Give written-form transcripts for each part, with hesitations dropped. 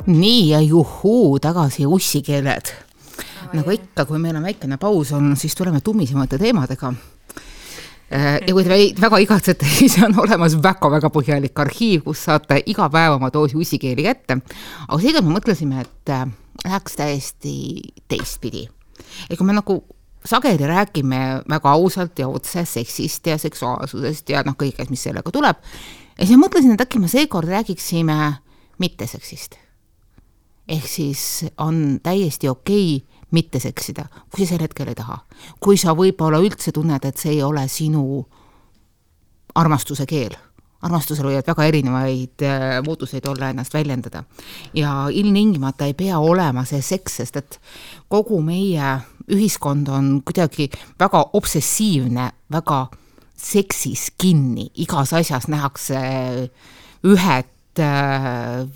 Nii ja juhuu, tagasi ussikeeled. Nagu ikka, kui meil on väikene paus on, siis tuleme tummisemate teemadega. Ja kui te väga igatsete, siis on olemas väga põhjalik arhiiv, kus saate iga päev oma doosi ussikeeli kätte. Aga seega me mõtlesime, et läheks täiesti teistpidi. Ja kui me nagu sageli räägime väga ausalt ja otse seksist ja seksuaalsusest ja kõigest, mis sellega tuleb, ja siis ma mõtlesin, et äkki me seekord räägiksime mitte seksist. Ehk siis on täiesti okei mitte seksida, kui sa sel hetkel ei taha. Kui sa võib-olla üldse tunned, et see ei ole sinu armastuse keel. Armastusel võivad väga erinevaid muutuseid olla ennast väljendada. Ja ilmtingimata ei pea olema see seks, sest et kogu meie ühiskond on kuidagi väga obsessiivne, väga seksis kinni. Igas asjas nähakse ühed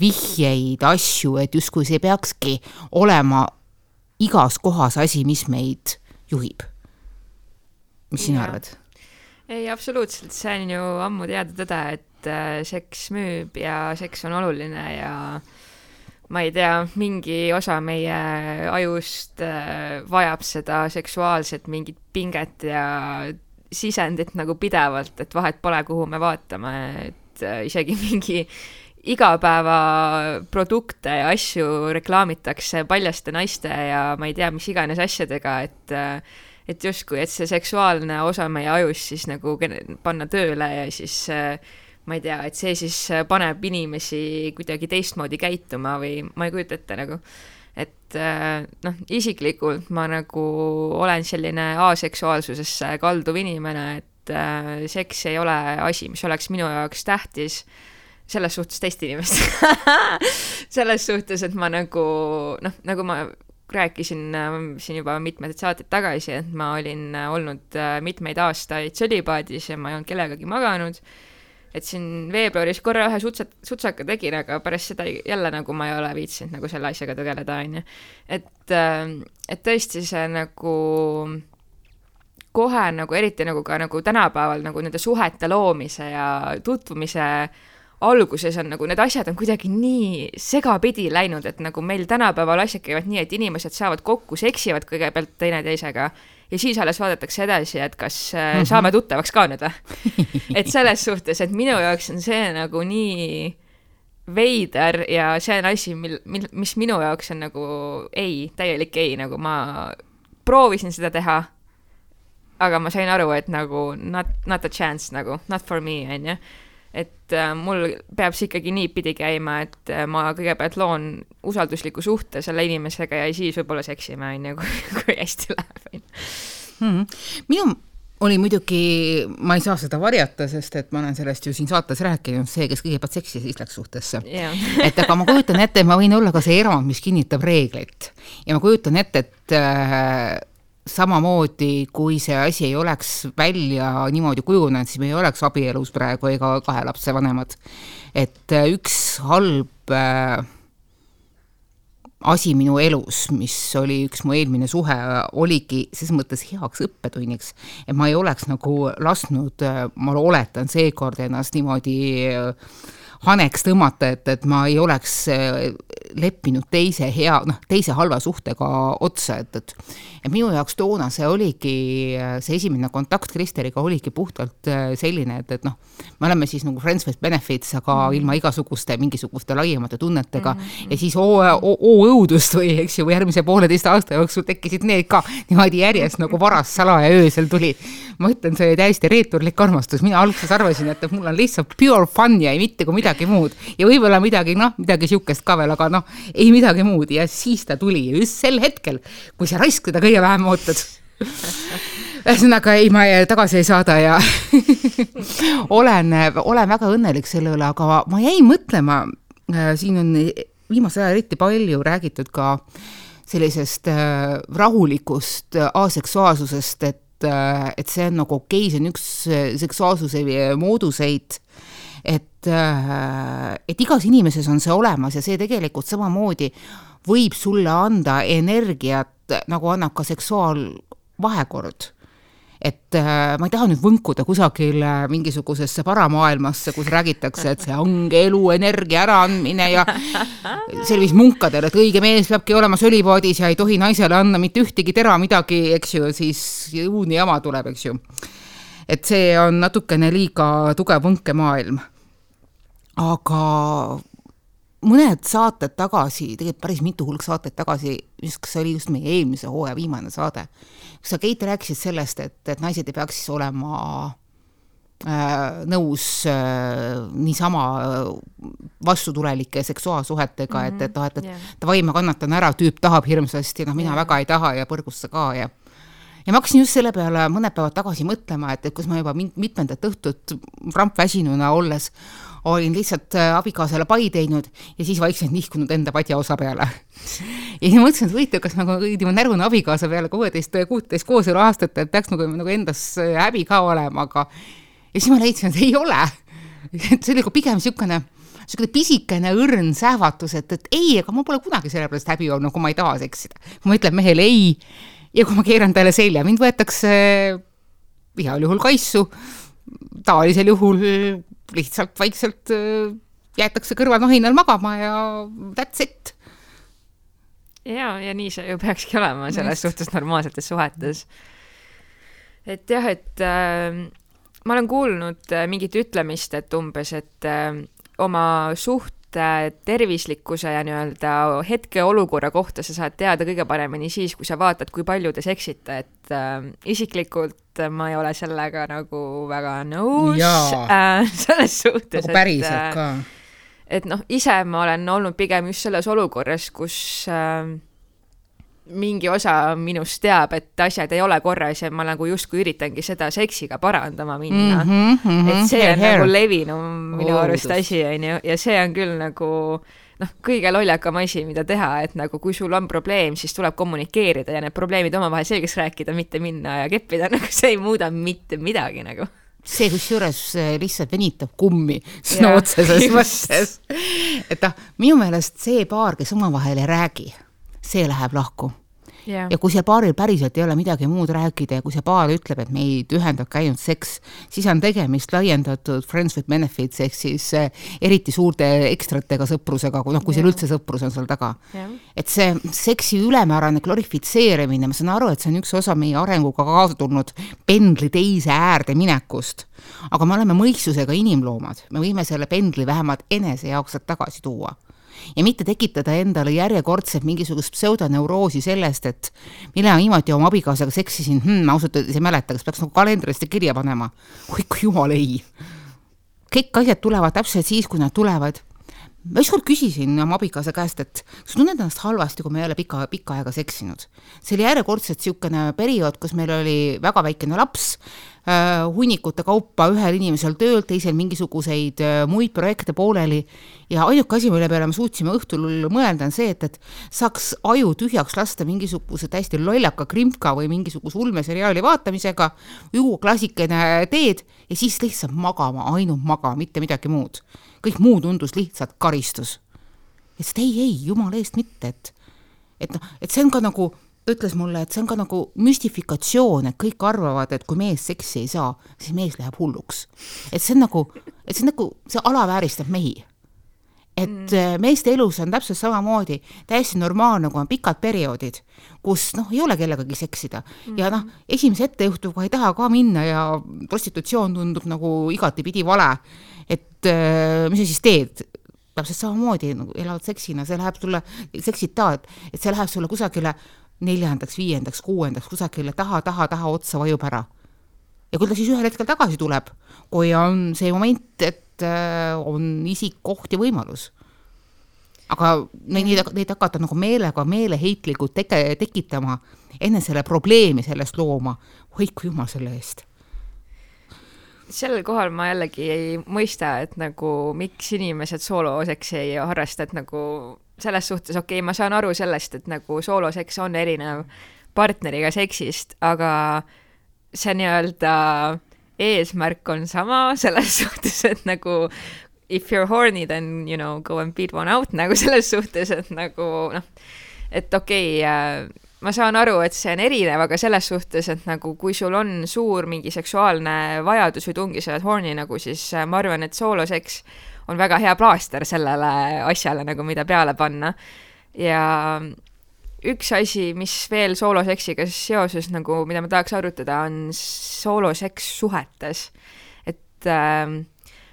vihjeid, asju, et justkui see peakski olema igas kohas asi, mis meid juhib. Mis sina arvad? Ei, absoluutselt. See on ju ammu teada tõde, et seks müüb ja seks on oluline ja ma ei tea, mingi osa meie ajust vajab seda seksuaalset mingit pinget ja sisendit nagu pidevalt, et vahet pole, kuhu me vaatame, et isegi mingi igapäeva produkte ja asju reklaamitakse paljaste naiste ja ma ei tea, mis iganes asjadega, et justkui, et see seksuaalne osa meie ajus siis nagu panna tööle ja siis ma ei tea, et see siis paneb inimesi kuidagi teistmoodi käituma või ma ei kujuta ette nagu, et isiklikult ma nagu olen selline aseksuaalsusesse kalduv inimene, et seks ei ole asi, mis oleks minu jaoks tähtis selles suhtes teist inimest. Selles suhtes, et ma nagu ma rääkisin siin juba mitmed saated tagasi, et ma olin olnud mitmeid aastaid sõlipaadis ja ma ei olnud kellegagi maganud, et siin veebruaris korra ühe sutsaka tegin, aga pärast seda jälle nagu ma ei ole viitsinud nagu selle asjaga tegeleda, on ju. Et tõesti see nagu kohe nagu eriti nagu ka nagu tänapäeval nagu nende suhete loomise ja tutvumise alguses on nagu need asjad on kuidagi nii segapidi läinud, et nagu meil tänapäeval asjad käivad nii, et inimesed saavad kokku, seksivad kõigepealt teine teisega ja siis alles vaadatakse edasi, et kas saame tuttavaks ka nüüd. Et selles suhtes, et minu jaoks on see nagu nii veider ja see on asi, mis minu jaoks on nagu täielik ei, nagu ma proovisin seda teha, aga ma sain aru, et nagu not a chance, nagu not for me, on ju. Et mul peab see ikkagi nii pidi käima, et ma kõigepealt loon usaldusliku suhte selle inimesega ja siis võib-olla seksime, on ju, kui hästi läheb. Minu oli muidugi, ma ei saa seda varjata, sest et ma olen sellest ju siin saates rääkinud, see, kes kõigepealt seksi siis läks suhtesse. Et aga ma kujutan ette, ma võin olla ka see erand, mis kinnitab reeglit. Ja ma kujutan ette, et samamoodi, kui see asi ei oleks välja niimoodi kujunenud, siis me ei oleks abielus praegu ega 2 lapse vanemad. Et üks halb asi minu elus, mis oli üks mu eelmine suhe, oligi ses mõttes heaks õppetunniks, et ma ei oleks nagu lasknud, ma oletan seekord ennast niimoodi haneks tõmmata, et ma ei oleks leppinud teise halva suhtega otsa, et minu jaoks toona see oligi, see esimene kontakt Kristeriga oligi puhtalt selline, et me oleme siis nagu friends with benefits, aga ilma mingisuguste laiemate tunnetega ja siis õudust või, eks ju, järgmise 1,5 aasta jooksul tekkisid need ka niimoodi järjest nagu varas salaja öösel tuli. Ma ütlen, see oli täiesti reeturlik armastus. Mina alguses arvasin, et mul on lihtsalt pure fun ja ei mitte kui midagi muud. Ja võib-olla midagi siukest ka veel, aga ei midagi muud. Ja siis ta tuli ja just sel hetkel, kui sa raisk teda kõige vähem ootad. Ühesõnaga, ma tagasi ei saada ja olen väga õnnelik selle üle, aga ma jäin mõtlema, siin on viimase aja eriti palju räägitud ka sellisest rahulikust aseksuaalsusest, et see on nagu okei, see on üks seksuaalsuse mooduseid, et igas inimeses on see olemas ja see tegelikult samamoodi võib sulle anda energiat, nagu annab ka seksuaalvahekord. et ma ei taha nüüd võnkuda kusagil mingisugusesse paramaailmasse, kus räägitakse, et see ongi elu energia äraandmine ja sellis munkadel, et õige mees peabki olema sölipaadis ja ei tohi naisele anda mitte ühtegi tera midagi, eks ju, siis õudne jama tuleb, eks ju. Et see on natukene liiga tugev võnkemaailm. Aga mõned saated tagasi, tegelikult päris mitu hulk saated tagasi, kas see oli just meie eelmise hooaja viimane saade, kus sa, Keit, rääkisid sellest, et naised ei peaks siis olema nõus niisama vastutulelike seksuaalsuhetega, et davai, ma kannatan ära, tüüp tahab hirmsasti, mina väga ei taha ja põrgusse ka ja ma hakkasin just selle peale mõned päevad tagasi mõtlema, et kus ma juba mitmendat õhtut rampväsinuna olles olin lihtsalt abikaasale pai teinud ja siis vaikselt nihkunud enda padja osa peale. Ja siis mõtlesin, et võite, kas nagu närvune abikaasa peale 16 kooselu aastat, et peaks nagu endas häbi ka olema, aga ja siis ma leidsin, et ei ole. See oli pigem niisugune pisikene õrn sähvatus, et ei, aga ma pole kunagi selle pärast häbi olnud, kui ma ei taha seksida. Kui ma ütlen mehele ei ja kui ma keeran talle selja, mind võetakse heal juhul kaissu, tavalisel juhul lihtsalt vaikselt jäetakse kõrval nohinal magama ja that's it. Ja nii see ju peakski olema selles suhtes normaalsetes suhetes. Et jah, et ma olen kuulnud mingit ütlemist, et umbes, et oma tervislikkuse ja nii-öelda hetke olukorra kohta sa saad teada kõige paremini siis, kui sa vaatad, kui palju te seksite, et isiklikult ma ei ole sellega nagu väga nõus selles suhtes. Nagu päriselt ka. Et ise ma olen olnud pigem just selles olukorras, kus mingi osa minust teab, et asjad ei ole korras ja ma nagu justkui üritangi seda seksiga parandama minna. Et see on nagu levinum minu arust asi, ja see on küll nagu kõige loljakam asi, mida teha, et nagu kui sul on probleem, siis tuleb kommunikeerida ja need probleemid omavahel selgeks rääkida, mitte minna ja keppida, nagu see ei muuda mitte midagi nagu. See, kus juures lihtsalt venitab kummi sõna otseses mõttes. Et minu meelest see paar, kes omavahel ei räägi, see läheb lahku. Ja kui see paaril päriselt ei ole midagi muud rääkida ja kui see paar ütleb, et meid ühendabki ainult seks, siis on tegemist laiendatud friends with benefits ehk siis eriti suurte ekstratega sõprusega, kui seal üldse sõprus on seal taga. Et see seksi ülemäärane glorifitseerimine, ma saan aru, et see on üks osa meie arenguga kaasa tulnud pendli teise äärde minekust. Aga me oleme mõistusega inimloomad. Me võime selle pendli vähemalt enese jaoks tagasi tuua. Ja mitte tekitada endale järjekordselt mingisugust pseudoneuroosi sellest, et mille ma viimati oma abikaasaga seksisin, ma ausalt ei mäleta, kas peaks nagu kalendrist kirja panema. Kui jumal ei. Kõik asjad tulevad täpselt siis, kui nad tulevad. Ma ükskord küsisin oma abikaasa käest, et sa tunned ennast halvasti, kui me ei ole pikka aega seksinud. See oli järjekordselt niisugune periood, kus meil oli väga väikene laps, hunnikute kaupa ühel inimesel tööl, teisel mingisuguseid muid projekte pooleli ja ainuke asi, mille peale me suutsime õhtul mõelda on see, et saaks aju tühjaks lasta mingisuguse täiesti lollaka krimpka või mingisuguse ulmeseriaali vaatamisega, juua klassikene teed ja siis lihtsalt magama, ainult magama, mitte midagi muud. Kõik muu tundus lihtsalt karistus. Et ei, jumal eest mitte, et see on ka nagu ta ütles mulle, et see on ka nagu müstifikatsioon, et kõik arvavad, et kui mees seksi ei saa, siis mees läheb hulluks. Et see on nagu, see alavääristab mehi. Et meeste elus on täpselt samamoodi täiesti normaalne, kui on pikad perioodid, kus ei ole kellegagi seksida. Ja esimese ettejuhtuga ei taha ka minna ja prostitutsioon tundub nagu igatipidi vale. Et mis sa siis teed? Täpselt samamoodi elavad seksina, see läheb sulle, seksid taad, et see läheb sulle kusagile 4., 5., 6., kusagile taha otsa vajub ära. Ja kui ta siis ühel hetkel tagasi tuleb, kui on see moment, et on isik, koht ja võimalus. Aga neid hakata nagu meeleheitlikult tekitama, enne selle probleemi sellest looma, hoidku jumal selle eest. Sellel kohal ma jällegi ei mõista, et nagu miks inimesed sooloseks ei harrasta, et nagu selles suhtes, ma saan aru sellest, et nagu sooloseks on erinev partneriga seksist, aga see nii-öelda eesmärk on sama selles suhtes, et nagu if you're horny, then go and beat one out, nagu selles suhtes, et nagu et ma saan aru, et see on erinev, aga selles suhtes, et nagu kui sul on suur mingi seksuaalne vajadus või tungi sa oled horny nagu, siis ma arvan, et sooloseks on väga hea plaaster sellele asjale nagu, mida peale panna. Ja üks asi, mis veel sooloseksiga seoses nagu, mida ma tahaks arutada, on sooloseks suhetes. Et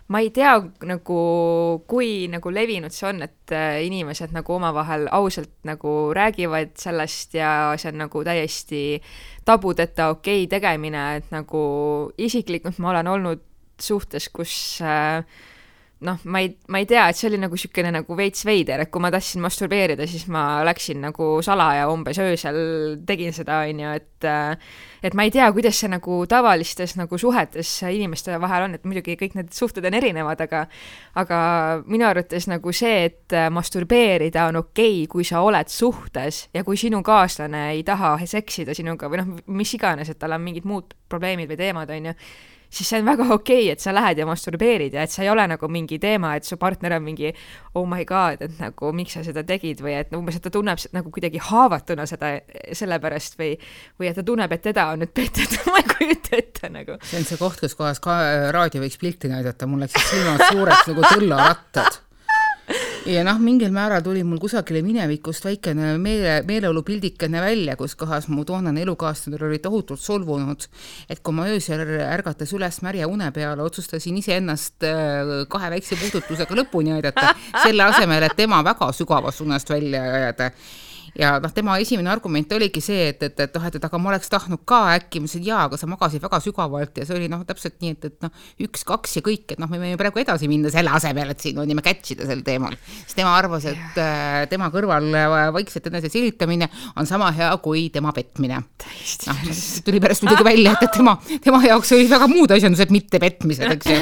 ma ei tea nagu, kui nagu levinud see on, et inimesed nagu omavahel ausalt nagu räägivad sellest ja see on nagu täiesti tabudeta okei tegemine, et nagu isiklikult ma olen olnud suhtes, kus noh, ma ei tea, et see oli nagu sükene nagu veits veider, et kui ma tahtsin masturbeerida, siis ma läksin nagu salaja umbes öösel, tegin seda, et ma ei tea, kuidas see nagu tavalistes nagu suhetes inimeste vahel on, et muidugi kõik need suhted on erinevad, aga minu arvates nagu see, et masturbeerida on okei, kui sa oled suhtes ja kui sinu kaaslane ei taha seksida sinuga või noh, mis iganes, et tal on mingid muud probleemid või teemad, on ju, siis see on väga okei, et sa lähed ja masturbeerid ja et sa ei ole nagu mingi teema, et su partner on mingi oh my god, et nagu miks sa seda tegid või et umbes, et ta tunneb nagu kuidagi haavatuna seda sellepärast või et ta tunneb, et teda on nüüd petet, ma ei kujuta ette nagu. See on see koht, kus kohas ka raadio võiks pilti näidata, mul läksid silmad suureks nagu tõllarattad. Ja noh, mingil määral tuli mul kusagile minevikust väikene meeleolupildikene välja, kus kohas mu toonane elukaaslane oli tohutult solvunud, et kui ma öösel ärgates üles märja une peale, otsustasin iseennast 2 väikse puudutusega lõpuni aidata, selle asemel, et tema väga sügavast unest välja ajada. Ja noh, tema esimene argument oligi see, et aga ma oleks tahtnud ka äkki, ma ütlesin, aga sa magasid väga sügavalt ja see oli noh, täpselt nii, et noh, 1, 2 ja kõik, et noh, me võime praegu edasi minna selle asemel, et siin on nime catchida sel teemal. Siis tema arvas, et tema kõrval vaikselt enese silitamine on sama hea kui tema petmine. No, tuli pärast muidugi välja, et tema jaoks oli väga muud asjandused, mitte petmised, eks ju.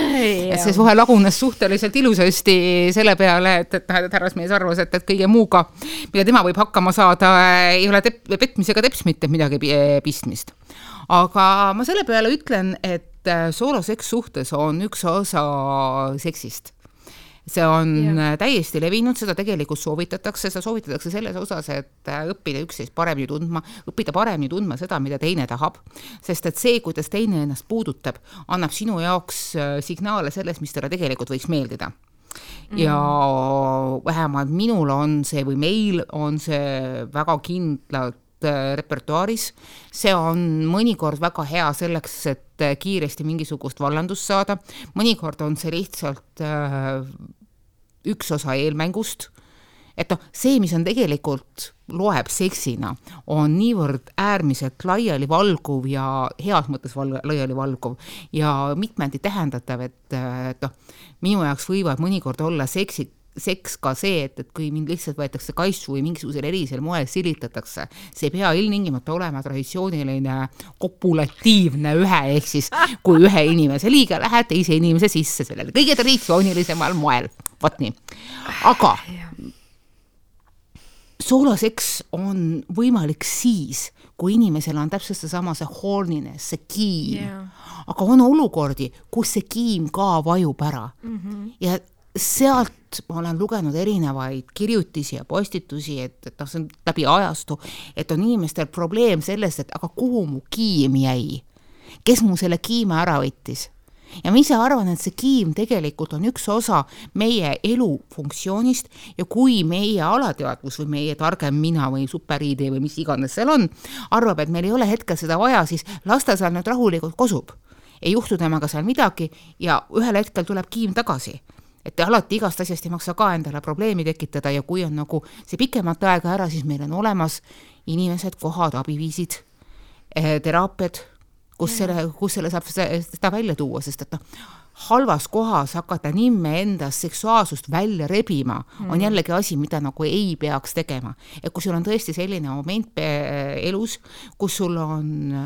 Et see suhe lagunes suhteliselt ilusasti selle peale, et härrasmees arvas, et kõige muuga, mida tema võib hakkama saada, ei ole petmisega teps mitte midagi pistmist. Aga ma selle peale ütlen, et sooloseks suhtes on üks osa seksist. See on täiesti levinud, seda tegelikult soovitatakse, seda soovitatakse selles osas, et õppida üksteist paremini tundma, õppida paremini tundma seda, mida teine tahab, sest et see, kuidas teine ennast puudutab, annab sinu jaoks signaale sellest, mis talle tegelikult võiks meeldida. Ja vähemalt minul on see või meil on see väga kindlalt repertuaaris. See on mõnikord väga hea selleks, et kiiresti mingisugust vallandust saada. Mõnikord on see lihtsalt üks osa eelmängust. Et see, mis on tegelikult loeb seksina, on niivõrd äärmiselt laiali valguv ja heas mõttes laiali valguv ja mitmeti tähendatav, et minu jaoks võivad mõnikord olla seks ka see, et kui mind lihtsalt võetakse kaisu või mingisugusel erisel moel silitatakse, see ei pea ilmtingimata olema traditsiooniline kopulatiivne ehk siis kui ühe inimese liiga lähed teise inimese sisse sellele kõige traditsioonilisemal moel. Võt nii. Aga sooloseks on võimalik siis, kui inimesel on täpselt seesama see horniness, see kiim. Aga on olukordi, kus see kiim ka vajub ära. Ja sealt ma olen lugenud erinevaid kirjutisi ja postitusi, et see on läbi ajastu, et on inimestel probleem sellest, et aga kuhu mu kiim jäi? Kes mu selle kiime ära võttis? Ja ma ise arvan, et see kiim tegelikult on üks osa meie elu funktsioonist ja kui meie alateadvus või meie targem mina või superiide või mis iganes seal on, arvab, et meil ei ole hetkel seda vaja, siis lasta seal nüüd rahulikult kosub. Ei juhtu temaga seal midagi ja ühel hetkel tuleb kiim tagasi. Et alati igast asjast ei maksa ka endale probleemi tekitada ja kui on nagu see pikemat aega ära, siis meil on olemas inimesed, kohad, abiviisid, teraapiad, kus selle saab seda välja tuua, sest et halvas kohas hakata nimme endas seksuaalsust välja rebima on jällegi asi, mida nagu ei peaks tegema. Et kui sul on tõesti selline moment elus, kus sul on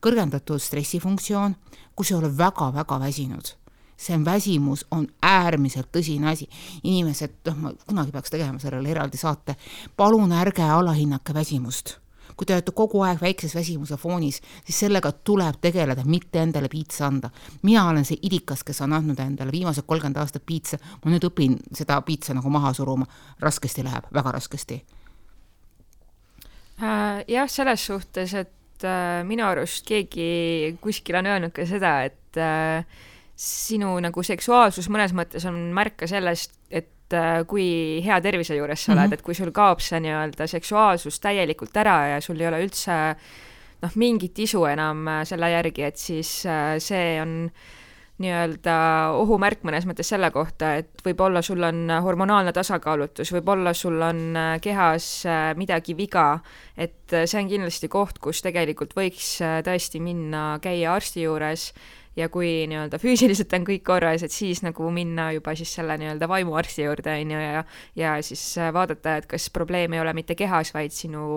kõrgendatud stressifunktsioon, kus sul on väga-väga väsinud. See väsimus on äärmiselt tõsine asi. Inimesed, ma kunagi peaks tegema sellele eraldi saate, palun ärge alahinnake väsimust. Kui te olete kogu aeg väikses väsimuse foonis, siis sellega tuleb tegeleda, mitte endale piitsa anda. Mina olen see idikas, kes on andnud endale viimased 30 aastat piitsa. Ma nüüd õpin seda piitsa nagu maha suruma. Raskesti läheb, väga raskesti. Jah, selles suhtes, et minu arust keegi kuskil on öelnud ka seda, et sinu nagu seksuaalsus mõnes mõttes on märka sellest, et kui hea tervise juures sa oled, et kui sul kaob see nii-öelda seksuaalsus täielikult ära ja sul ei ole üldse mingit isu enam selle järgi, et siis see on nii-öelda ohumärk mõnes mõttes selle kohta, et võib-olla sul on hormonaalne tasakaalutus, võib-olla sul on kehas midagi viga, et see on kindlasti koht, kus tegelikult võiks tõesti minna käia arsti juures ja kui nii-öelda füüsiliselt on kõik korras, et siis nagu minna juba siis selle nii-öelda vaimuarsti juurde ja siis vaadata, et kas probleem ei ole mitte kehas, vaid sinu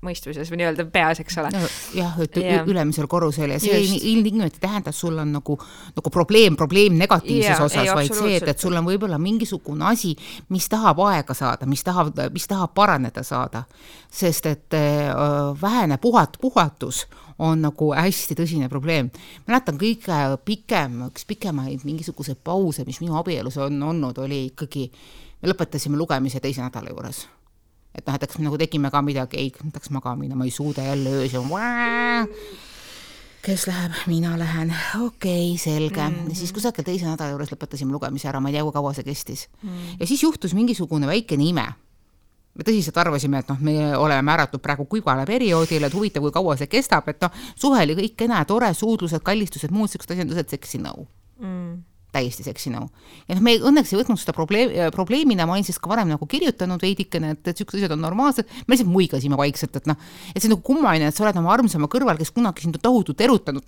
mõistuses või nii-öelda peas, eks ole. Jah, et ülemisel korrusel ja see ilmtingimata tähendab, sul on nagu probleem negatiivses osas, vaid see, et sul on võib-olla mingisugune asi, mis tahab aega saada, mis tahab paraneda saada, sest et vähene puhatus on nagu hästi tõsine probleem. Mäletan üks pikemaid mingisuguse pause, mis minu abielus on olnud, oli ikkagi, me lõpetasime lugemise 2. nädala juures. Et näiteks me nagu tegime ka midagi, ei tahaks magamina, ma ei suuda jälle öös ja kes läheb, mina lähen, okei, selge. Ja siis kusagil 2. nädala juures lõpetasime lugemise ära, ma ei tea, kui kaua see kestis. Ja siis juhtus mingisugune väikene ime. Me tõsiselt arvasime, et me oleme määratud praegu kuivale perioodile, et huvitav, kui kaua see kestab, et suhe oli kõik kena, tore, suudlused, kallistused, muud sellised asjandused, seksinõu. Täiesti seksinõu. Ja me õnneks ei võtnud seda probleemina, ma olin siis ka varem nagu kirjutanud veidikene, et sellised asjad on normaalsed, me lihtsalt muigasime vaikselt, et et see on nagu kummaline, et sa oled oma armsama kõrval, kes kunagi sind tohutult erutanud,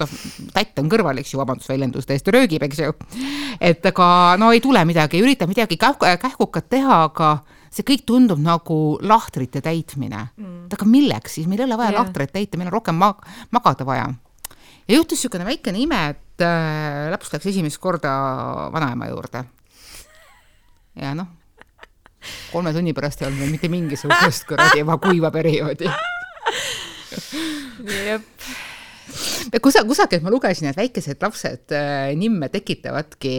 tätt on kõrval, eks ju, vabandusväljendus täiesti röögib, eks ju. Et aga ei tule midagi, ei ürita midagi kähkukat teha, aga see kõik tundub nagu lahtrite täitmine. Aga milleks siis? Meil ei ole vaja lahtrit täita, meil on rohkem magada vaja. Ja juhtus niisugune väikene ime, et laps läks esimest korda vanaema juurde. Ja 3 tunni pärast ei olnud meil mitte mingisugust juba kuiva perioodi. Jep. Kusagil ma lugesin, et väikesed lapsed nimme tekitavadki,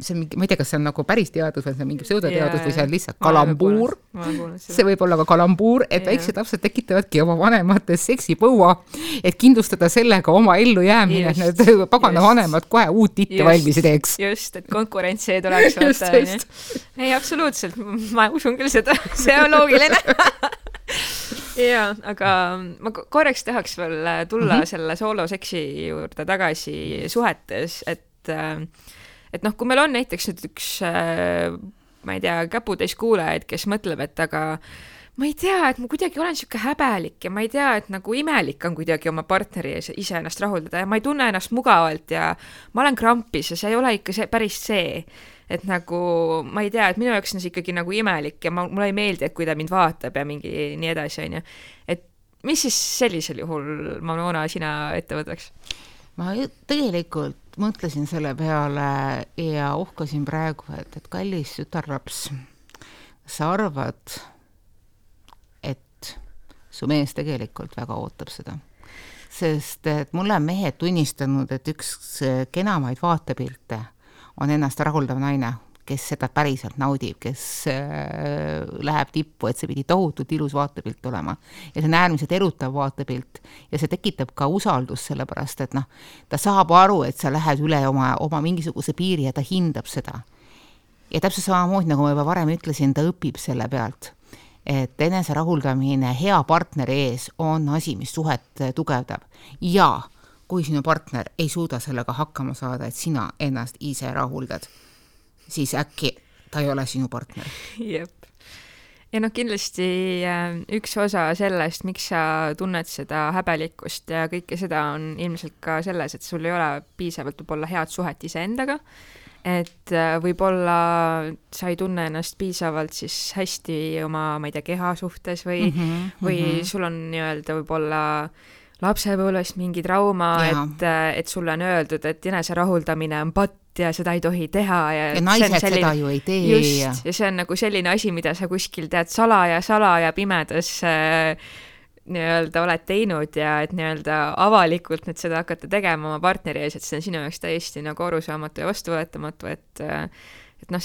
see on, ma ei tea, kas see on nagu päris teadus või see on mingi pseudoteadus või see on lihtsalt kalambuur. See võib olla ka kalambuur, et väiksed lapsed tekitavadki oma vanemates seksipõua, et kindlustada sellega oma ellu jäämine, et need pagana vanemad kohe uut titte valmis teeks. Just, et konkurentsi ei tuleks. Ei, absoluutselt, ma usun küll seda, see on loogiline. Jaa, aga ma korraks tahaks veel tulla selle sooloseksi juurde tagasi suhetes, et kui meil on näiteks üks, ma ei tea, käputäis kuulajaid, kes mõtleb, et aga ma ei tea, et ma kuidagi olen siuke häbelik ja ma ei tea, et nagu imelik on kuidagi oma partneri ise ennast rahuldada ja ma ei tunne ennast mugavalt ja ma olen krampis ja see ei ole ikka päris see. Et nagu, ma ei tea, et minu jaoks on see ikkagi nagu imelik ja mulle ei meeldi, et kui ta mind vaatab ja mingi nii edasi, on ju. Et mis siis sellisel juhul, Manona, sina ette võtaks? Ma tegelikult mõtlesin selle peale ja uhkasin praegu, et kallis tütarlaps, sa arvad, et su mees tegelikult väga ootab seda. Sest et mulle on mehed tunnistanud, et üks kenamaid vaatepilte on ennast rahuldav naine, kes seda päriselt naudib, kes läheb tippu, et see pidi tohutult ilus vaatepilt olema. Ja see on äärmiselt erutav vaatepilt ja see tekitab ka usaldust sellepärast, et ta saab aru, et sa lähed üle oma mingisuguse piiri ja ta hindab seda. Ja täpselt samamoodi, nagu ma juba varem ütlesin, ta õpib selle pealt. Et enese rahuldamine hea partneri ees on asi, mis suhet tugevdab. Ja kui sinu partner ei suuda sellega hakkama saada, et sina ennast ise rahuldad, siis äkki ta ei ole sinu partner. Jep. Ja kindlasti üks osa sellest, miks sa tunned seda häbelikkust ja kõike seda on ilmselt ka selles, et sul ei ole piisavalt võib-olla head suhet iseendaga, et võib-olla sa ei tunne ennast piisavalt siis hästi oma, ma ei tea, keha suhtes või sul on nii-öelda võib-olla lapsepõlvest mingi trauma, et sulle on öeldud, et enese rahuldamine on patt ja seda ei tohi teha. Ja naised seda ju ei tee. Just, ja see on nagu selline asi, mida sa kuskil tead salaja pimedas nii-öelda oled teinud ja et nii-öelda avalikult nüüd seda hakata tegema oma partneri ees, et see on sinu jaoks täiesti nagu arusaamatu ja vastuvõetamatu, et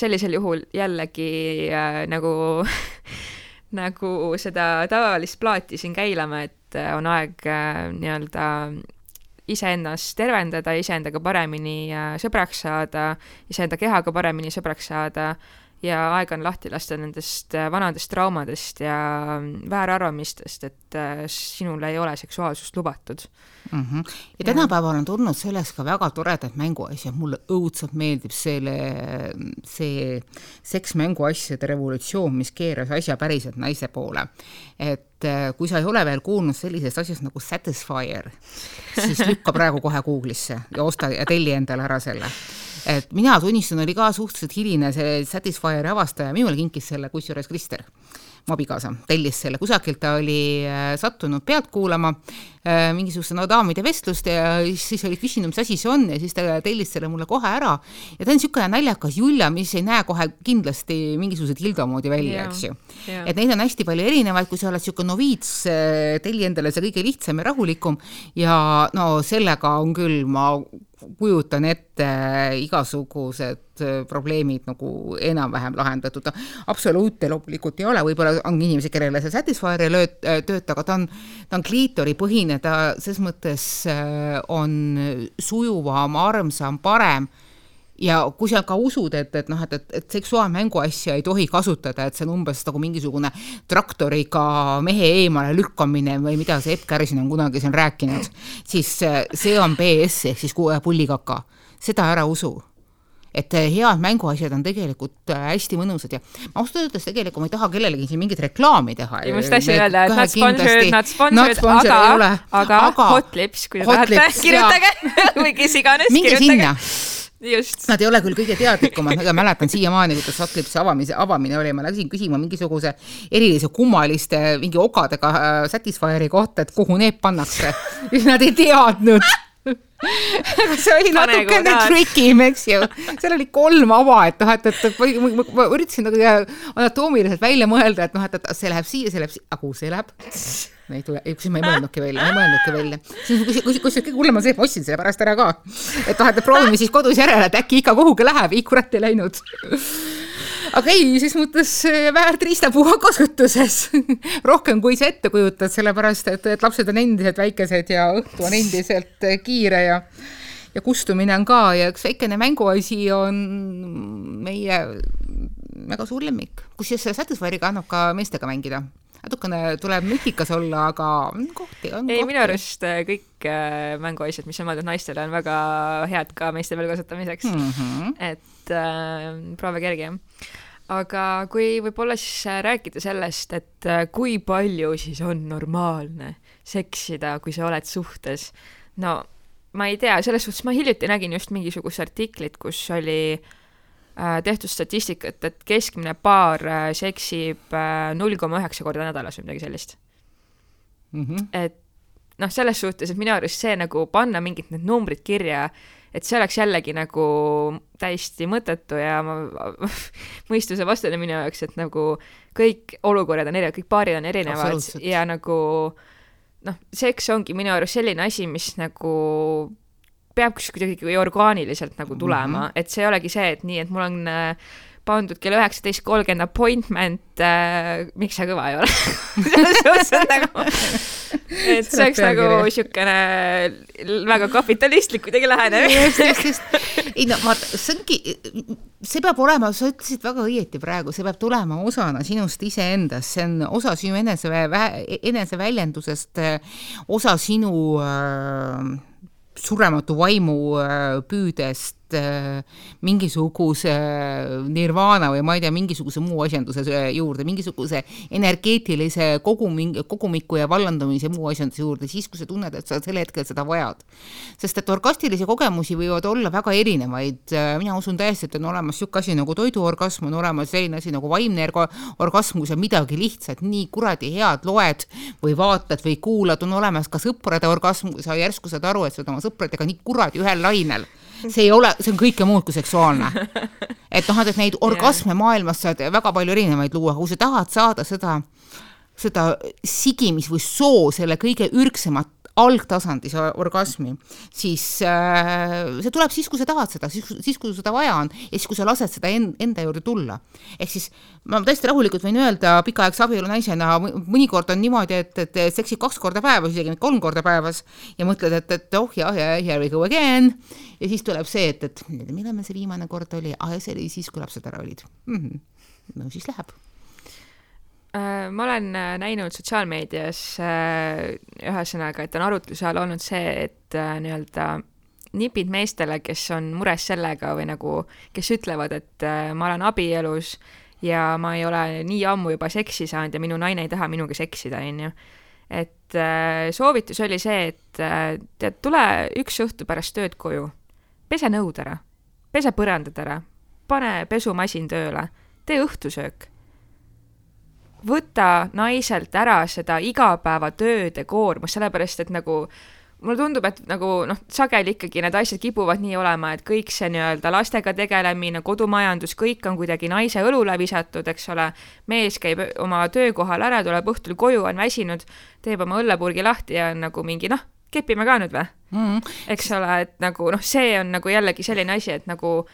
sellisel juhul jällegi nagu nagu seda tavalist plaati siin käilama, et on aeg nii-öelda iseennast tervendada, iseendaga paremini sõbraks saada, iseenda kehaga paremini sõbraks saada ja aeg on lahti lasta nendest vanadest traumadest ja väärarvamistest, et sinul ei ole seksuaalsust lubatud. Ja tänapäeval on tulnud selleks ka väga toredad mänguasjad, mulle õudselt meeldib see seksmänguasjade revolutsioon, mis keeras asja päriselt naise poole. Et kui sa ei ole veel kuulnud sellisest asjast nagu Satisfyer, siis lükka praegu kohe Google'isse ja osta ja telli endale ära selle. Et mina tunnistan, oli ka suhteliselt hiline see Satisfyeri avastaja, minule kinkis selle kusjuures Krister, mu abikaasa, tellis selle, kusakilt ta oli sattunud pealt kuulama mingisuguse daamide vestlust ja siis oli küsinud, mis asi see on ja siis ta tellis selle mulle kohe ära ja ta on niisugune naljakas Julia, mis ei näe kohe kindlasti mingisugused Hildo moodi välja, eks ju. Et neid on hästi palju erinevaid, kui sa oled niisugune noviits, telli endale see kõige lihtsam ja rahulikum ja no sellega on küll, ma kujutan ette igasugused probleemid nagu enam-vähem lahendatud. Absoluute loomulikult ei ole, võib-olla on inimesi, kellele see Satisfyer tööta, aga ta on kliitori põhine, ta ses mõttes on sujuvam, armsam, parem ja kui sa ka usud, et seksuaalmängu asja ei tohi kasutada, et see on umbes nagu mingisugune traktoriga mehe eemale lükkamine või mida see Epp Kärsin on kunagi siin rääkinud, siis see on BS ehk siis pullikaka. Seda ära usu. Et head mänguasjad on tegelikult hästi mõnusad ja ma ausalt öeldes tegelikult ma ei taha kellelegi siin mingit reklaami teha. Ja must hästi öelda, et not sponsored, aga Hot Lips, kui tahate, kirjutage või kes iganes minge kirjutage. Sinna. Just. Nad ei ole küll kõige teadlikumad, aga mäletan siiamaani, kuidas Hot Lipsi avamine oli, ma läksin küsima mingisuguse erilise kummaliste mingi ogadega Satisfyeri kohta, et kuhu need pannakse. Nad ei teadnud. Aga see oli natukene tricky, eks ju. Seal oli 3 ava, et ma üritasin anatoomiliselt välja mõelda, et see läheb siia, see läheb siia, aga kuhu see läheb? Ma ei mõelnudki välja. Kui kõige hullem on see, et ma ostsin selle pärast ära ka. Et proovime siis kodus järele, et äkki ikka kuhugi läheb, ei kurat ei läinud. Aga ei, siis mõttes väärt riistapuha kasutuses. Rohkem kui sa ette kujutad, sellepärast, et lapsed on endiselt väikesed ja õhtu on endiselt kiire ja kustumine on ka ja üks väikene mänguasi on meie väga suur lemmik, kus siis Satisfyeriga annab ka meestega mängida. Natukene tuleb nutikas olla, aga kohti on. Ei, minu arust kõik mänguasjad, mis on mõeldud naistele, on väga head ka meeste peal kasutamiseks. Et proove kerge. Aga kui võib-olla siis rääkida sellest, et kui palju siis on normaalne seksida, kui sa oled suhtes, no ma ei tea, selles suhtes ma hiljuti nägin just mingisugust artiklit, kus oli tehtud statistikat, et keskmine paar seksib 0,9 korda nädalas või midagi sellist. Et noh, selles suhtes, et minu arust see nagu panna mingid need numbrid kirja, et see oleks jällegi nagu täiesti mõttetu ja mõistuse vastane minu jaoks, et nagu kõik olukorrad on erinevad, kõik paarid on erinevad ja nagu noh, seks ongi minu arust selline asi, mis nagu peab kuidagi orgaaniliselt nagu tulema, et see ei olegi see, et nii, et mul on pandud kell 19.30 appointment, miks see kõva ei ole? et see oleks nagu siukene väga kapitalistlik kuidagi lähene. Ei no, see peab olema, sa ütlesid väga õieti praegu, see peab tulema osana sinust iseendast, see on osa sinu eneseväljendusest, osa sinu surematu vaimu püüdest mingisuguse nirvana või ma ei tea, mingisuguse muu asjanduse juurde, mingisuguse energeetilise kogumiku ja vallandumise muu asjanduse juurde, siis kui sa tunned, et sa selle hetkel seda vajad. Sest et orgastilisi kogemusi võivad olla väga erinevaid. Mina usun täiesti, et on olemas siuke asi nagu toiduorgasm, on olemas selline asi nagu vaimne orgasm, kui sa midagi lihtsalt nii kuradi head loed või vaatad või kuulad, on olemas ka sõprade orgasm, kui sa järsku saad aru, et sa oled oma sõpradega nii kuradi ühel lainel. See on kõike muud kui seksuaalne. Et noh, et neid orgasme maailmas saad väga palju erinevaid luua, kui sa tahad saada seda sigimis või soo selle kõige ürgsemat algtasandis orgasmi, siis see tuleb siis, kui sa tahad seda, siis kui seda vaja on ja siis, kui sa lased seda enda juurde tulla. Ehk siis ma tõesti rahulikult võin öelda pikaaegse abielu naisena, mõnikord on niimoodi, et seksid 2 korda päevas, isegi 3 korda päevas ja mõtled, et here we go again ja siis tuleb see, et millal me see viimane kord oli, see oli siis, kui lapsed ära olid. No siis läheb. Ma olen näinud sotsiaalmeedias ühesõnaga, et on arutluse all olnud see, et nii-öelda nipid meestele, kes on mures sellega või nagu, kes ütlevad, et ma olen abielus ja ma ei ole nii ammu juba seksi saanud ja minu naine ei taha minuga seksida, on ju. Et soovitus oli see, et tule üks õhtu pärast tööd koju, pese nõud ära, pese põrandad ära, pane pesumasin tööle, tee õhtusöök. Võta naiselt ära seda igapäevatööde koormus, sellepärast, et nagu mulle tundub, et nagu sageli ikkagi need asjad kipuvad nii olema, et kõik see nii-öelda lastega tegelemine, kodumajandus, kõik on kuidagi naise õlule visatud, eks ole, mees käib oma töökohal ära, tuleb õhtul koju, on väsinud, teeb oma õllepurgi lahti ja on nagu mingi, kepime ka nüüd või? Eks ole, et nagu, see on nagu jällegi selline asi, et nagu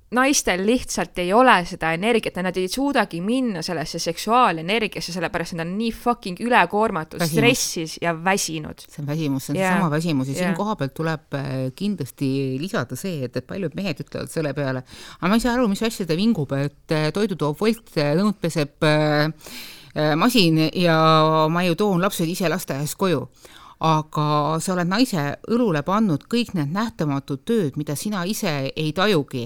naistel lihtsalt ei ole seda energiat, nad ei suudagi minna sellesse seksuaalenergiasse, sellepärast nad on nii fucking ülekoormatud, stressis ja väsinud. See on väsimus, see on sama väsimus ja siin koha pealt tuleb kindlasti lisada see, et paljud mehed ütlevad selle peale, aga ma ei saa aru, mis asja ta vingub, et toidu toob Volt, nõud peseb masin ja ma ju toon lapsed ise lasteaiast koju. Aga sa oled naise õlule pannud kõik need nähtamatud tööd, mida sina ise ei tajugi.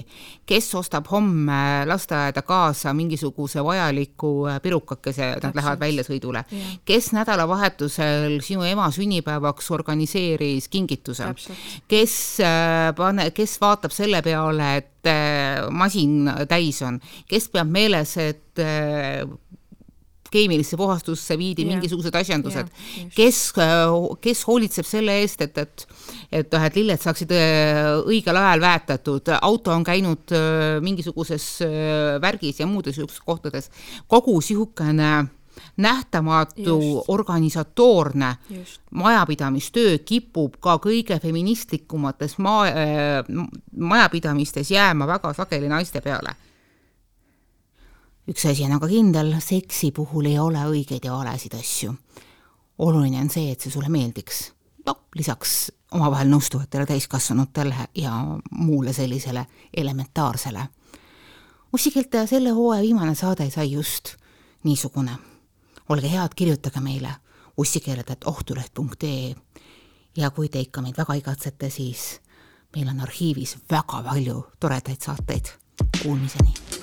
Kes ostab homme lasteaeda kaasa mingisuguse vajaliku pirukakese, nad lähevad väljasõidule. Kes nädalavahetusel sinu ema sünnipäevaks organiseeris kingituse. Kes vaatab selle peale, et masin täis on. Kes peab meeles, et keemilisse puhastusse viidi mingisugused asjandused, kes hoolitseb selle eest, et lilled saaksid õigel ajal väetatud, auto on käinud mingisuguses värgis ja muudes kohtades. Kogu sihukene nähtamatu organisatoorne majapidamistöö kipub ka kõige feministlikumates majapidamistes jääma väga sageli naiste peale. Üks asi on aga kindel, seksi puhul ei ole õigeid ja valesid asju. Oluline on see, et see sulle meeldiks. Lisaks omavahel nõustuvatele täiskasvanutele ja muule sellisele elementaarsele. Ussikeelte selle hooaja viimane saade sai just niisugune. Olge head, kirjutage meile ussikeeled@ohtuleht.ee ja kui te ikka meid väga igatsete, siis meil on arhiivis väga palju toredaid saateid. Kuulmiseni!